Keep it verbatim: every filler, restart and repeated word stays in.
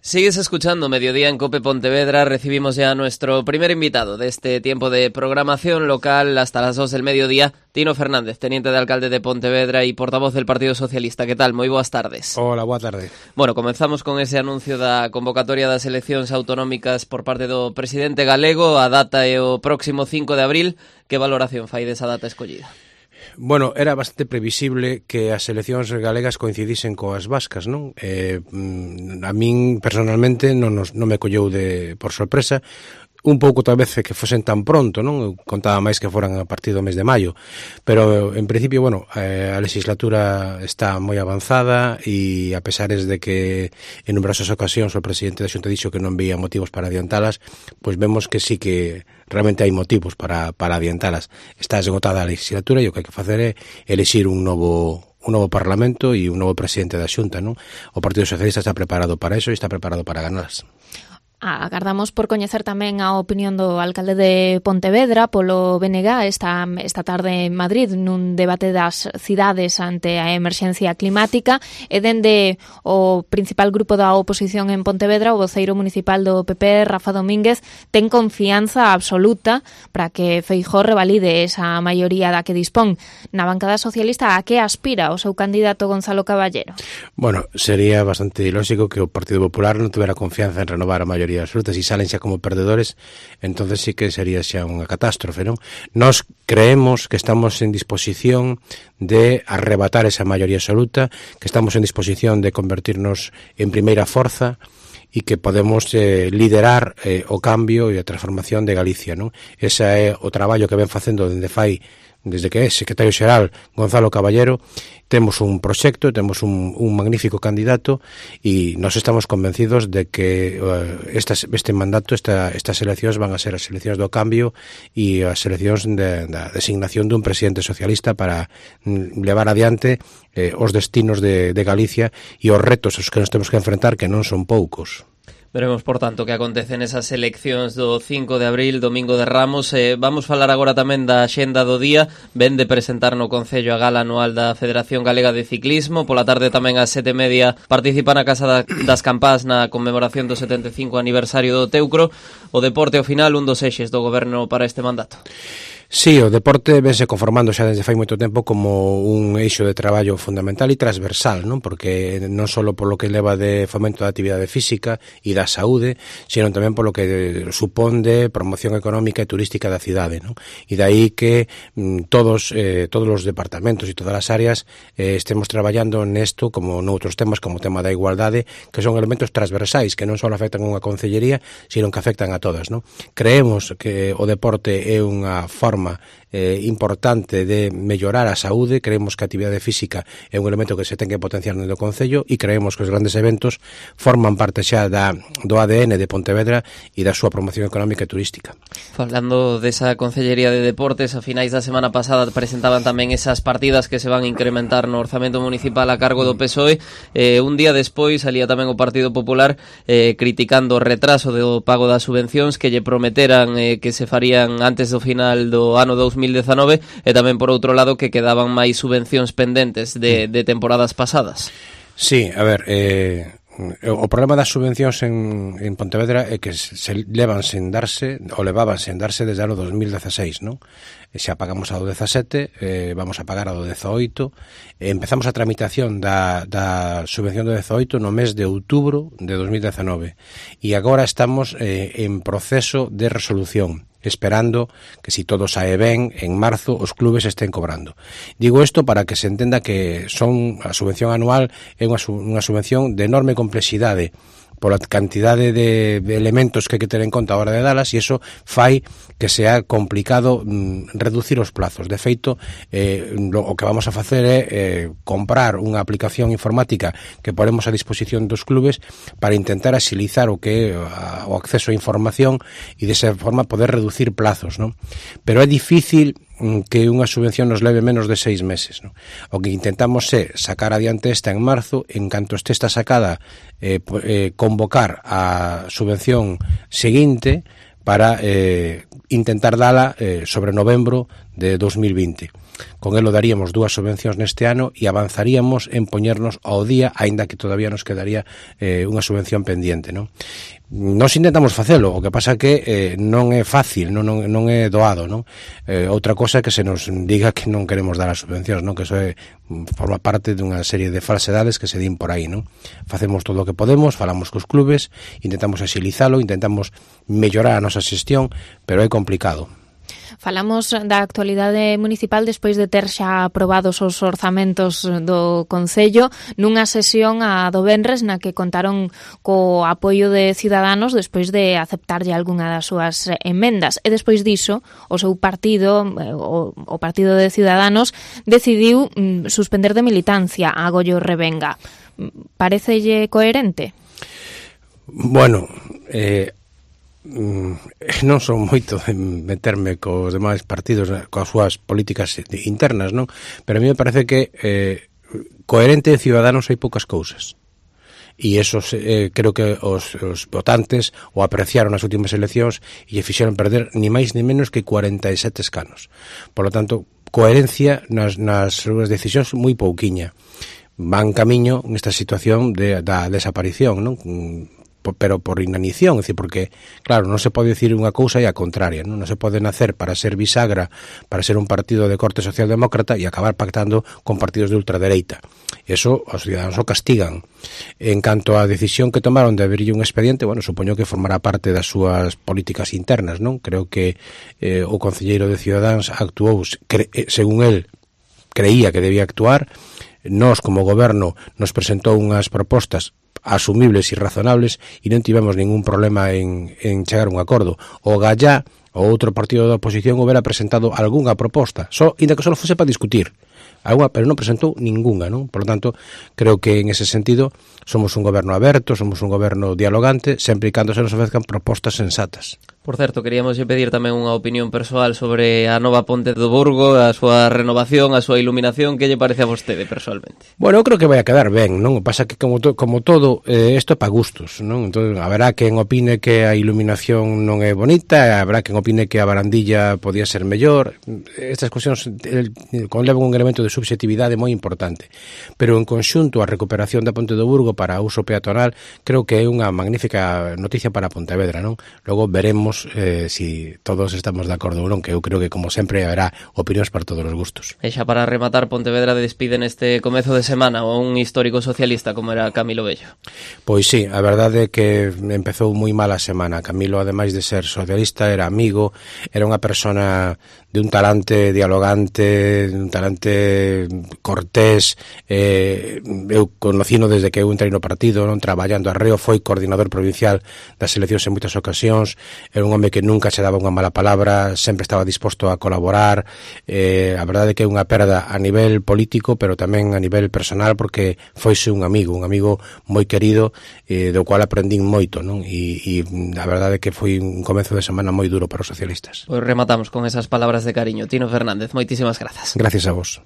Sigues escuchando Mediodía en COPE Pontevedra. Recibimos ya a nuestro primer invitado de este tiempo de programación local hasta las dos del mediodía, Tino Fernández, teniente de alcalde de Pontevedra y portavoz del Partido Socialista. Que tal? Moi boas tardes. Hola, boa tarde. Bueno, comenzamos con ese anuncio da convocatoria das eleccións autonómicas por parte do presidente galego. A data é o próximo cinco de abril. Que valoración fai desa data escollida? Bueno, era bastante previsible que as eleccións galegas coincidisen coas vascas, non? Eh, a min, personalmente, non, nos, non me colleu de, por sorpresa, un pouco tal vez que fosen tan pronto, non? Eu contaba máis que foran a partir do mes de maio, pero en principio, bueno, eh, a legislatura está moi avanzada e a pesares de que en numerosas ocasións o presidente da Xunta dixo que non veía motivos para adiantalas, pois vemos que sí que realmente hai motivos para, para adiantalas. Está esgotada a legislatura e o que hai que facer é elixir un novo un novo Parlamento e un novo presidente da Xunta, non? O Partido Socialista está preparado para eso e está preparado para ganarlas. Agardamos por coñecer tamén a opinión do alcalde de Pontevedra polo B N G esta, esta tarde en Madrid nun debate das cidades ante a emerxencia climática e dende o principal grupo da oposición en Pontevedra, o voceiro municipal do P P, Rafa Domínguez, ten confianza absoluta para que Feijóo revalide esa maioría da que dispón. Na bancada socialista, a que aspira o seu candidato Gonzalo Caballero? Bueno, sería bastante ilóxico que o Partido Popular non tuvera confianza en renovar a maioría absoluta. Si salen xa como perdedores, entonces sí que sería xa unha catástrofe, non? Nos creemos que estamos en disposición de arrebatar esa maioría absoluta, que estamos en disposición de convertirnos en primeira forza e que podemos eh, liderar eh, o cambio e a transformación de Galicia, non? Ese é o traballo que ven facendo dende fai desde que é secretario xeral Gonzalo Caballero. Temos un proxecto, temos un, un magnífico candidato e nós estamos convencidos de que uh, estas, este mandato, esta, estas eleccións van a ser as eleccións do cambio e as eleccións de, da designación dun presidente socialista para mm, levar adiante eh, os destinos de, de Galicia e os retos aos que nos temos que enfrentar, que non son poucos. Veremos, por tanto, que acontece nesas eleccións do cinco de abril, domingo de Ramos. Eh, vamos falar agora tamén da axenda do día. Ven de presentar no Concello a gala anual da Federación Galega de Ciclismo. Pola tarde tamén ás sete e media participa na Casa da, das Campás na conmemoración do setenta e cinco aniversario do Teucro. O deporte ao final, un dos eixes do goberno para este mandato. Sí, o deporte vense conformando xa desde fai moito tempo como un eixo de traballo fundamental e transversal, non? Porque non só polo que leva de fomento da actividade física e da saúde, sino tamén polo que supón de promoción económica e turística da cidade, non? E dai que mm, todos eh, todos os departamentos e todas as áreas eh, estemos traballando nesto como noutros temas como o tema da igualdade, que son elementos transversais que non só afectan a unha concellería, sino que afectan a todas, non? Creemos que o deporte é unha forma Eh, importante de mellorar a saúde. Creemos que a actividade física é un elemento que se ten que potenciar no Concello e creemos que os grandes eventos forman parte xa da, do A D N de Pontevedra e da súa promoción económica e turística. Falando desa Concellería de Deportes, a finais da semana pasada presentaban tamén esas partidas que se van a incrementar no orzamento municipal a cargo do P S O E. Eh, un día despois salía tamén o Partido Popular eh, criticando o retraso do pago das subvencións que lle prometeran eh, que se farían antes do final do ano dous mil dezanove e tamén por outro lado que quedaban máis subvencións pendentes de, de temporadas pasadas. Sí, a ver, eh, o problema das subvencións en, en Pontevedra é que se levan sen darse, ou levaban sen darse desde o ano dos mil dezaseis, non? Xa pagamos a do dezasete, eh, vamos a pagar a do dezoito, eh, empezamos a tramitación da, da subvención do dezoito no mes de outubro de dos mil dezanove e agora estamos eh, en proceso de resolución, esperando que, si todo sae ben, en marzo os clubes estén cobrando. Digo isto para que se entenda que son a subvención anual é unha, unha subvención de enorme complexidade pola cantidade de, de elementos que hai que ter en conta a hora de dalas, e iso fai que sea complicado mm, reducir os plazos. De feito, eh, lo, o que vamos a facer é eh, comprar unha aplicación informática que ponemos a disposición dos clubes para intentar axilizar o que é a, o acceso a información e desa forma poder reducir plazos, non? Pero é difícil que unha subvención nos leve menos de seis meses, non? O que intentamos é sacar adiante esta en marzo, en canto este está sacada, eh, eh, convocar a subvención seguinte para eh, intentar dala eh, sobre novembro de dos mil vinte. con elo daríamos dúas subvencións neste ano e avanzaríamos en poñernos ao día, aínda que todavía nos quedaría eh, unha subvención pendiente, non? Nos intentamos facelo, o que pasa que eh, non é fácil, non, non, non é doado, non? Eh, outra cosa é que se nos diga que non queremos dar as subvencións, non? Que eso é, forma parte dunha serie de falsedades que se din por aí, non? Facemos todo o que podemos, falamos cos clubes, intentamos axilizalo, intentamos mellorar a nosa xestión, pero é complicado. Falamos da actualidade municipal despois de ter xa aprobados os orzamentos do Concello nunha sesión a do venres na que contaron co apoio de Ciudadanos despois de aceptarlle algunha das súas emendas. E despois diso, o seu partido, o, o Partido de Ciudadanos, decidiu mm, suspender de militancia a Goyo Revenga. Parecelle coherente? Bueno, eh... non son moito de meterme cos demais partidos coas súas políticas internas, non? Pero a mí me parece que eh, coherente de Ciudadanos hai poucas cousas e eso eh, creo que os, os votantes o apreciaron nas últimas eleccións e lle fixeron perder ni máis ni menos que cuarenta e sete escanos. Por lo tanto, coherencia nas, nas súas decisións moi pouquiña. Van camiño nesta situación de, da desaparición, non? Pero por inanición, é dicir, porque claro, non se pode dicir unha cousa e a contraria, non, non se pode nacer para ser bisagra, para ser un partido de corte socialdemócrata e acabar pactando con partidos de ultradereita. Eso os ciudadanos o castigan. En canto á decisión que tomaron de abrirlle un expediente, bueno, supoño que formará parte das súas políticas internas, non? Creo que eh, o concelleiro de Ciudadanos actuou, cre, según el, creía que debía actuar. Nós, como goberno, nos presentou unhas propostas asumibles e razonables e non tivemos ningún problema en, en chegar a un acordo. O Gallá, o outro partido da oposición, houbera presentado algunha proposta, só, inda que só fose para discutir, alguna, pero non presentou ningunha, non? Por lo tanto, creo que en ese sentido somos un goberno aberto, somos un goberno dialogante, sempre e cando se nos ofrezcan propostas sensatas. Por certo, queríamos pedir tamén unha opinión persoal sobre a nova Ponte do Burgo, a súa renovación, a súa iluminación. Que lle parece a vostede persoalmente? Bueno, eu creo que vai a quedar ben, non? O pasa que como, to, como todo, eh, isto é para gustos, non? Entón, haberá quen opine que a iluminación non é bonita, haberá quen opine que a barandilla podía ser mellor. Estas cuestións conlevan un elemento de subxetividade moi importante. Pero en conxunto a recuperación da Ponte do Burgo para uso peatonal creo que é unha magnífica noticia para Pontevedra, non? Logo veremos Eh, si todos estamos de acordo ou non, que eu creo que como sempre haberá opinións para todos os gustos. E xa para rematar, Pontevedra despide neste comezo de semana a un histórico socialista como era Camilo Bello. Pois sí, a verdade é que empezou moi mal a semana. Camilo, ademais de ser socialista, era amigo, era unha persona de un talante dialogante, de un talante cortés. eh, eu conocino desde que eu entrei no partido, non, traballando arreo, foi coordinador provincial das eleccións en moitas ocasións. Era un home que nunca se daba unha mala palabra, sempre estaba disposto a colaborar. Eh, a verdade é que é unha perda a nivel político, pero tamén a nivel personal, porque foise un amigo, un amigo moi querido, eh, do cual aprendín moito, non? E, e a verdade é que foi un comezo de semana moi duro para os socialistas. Pois rematamos con esas palabras de cariño. Tino Fernández, moitísimas grazas. Gracias a vos.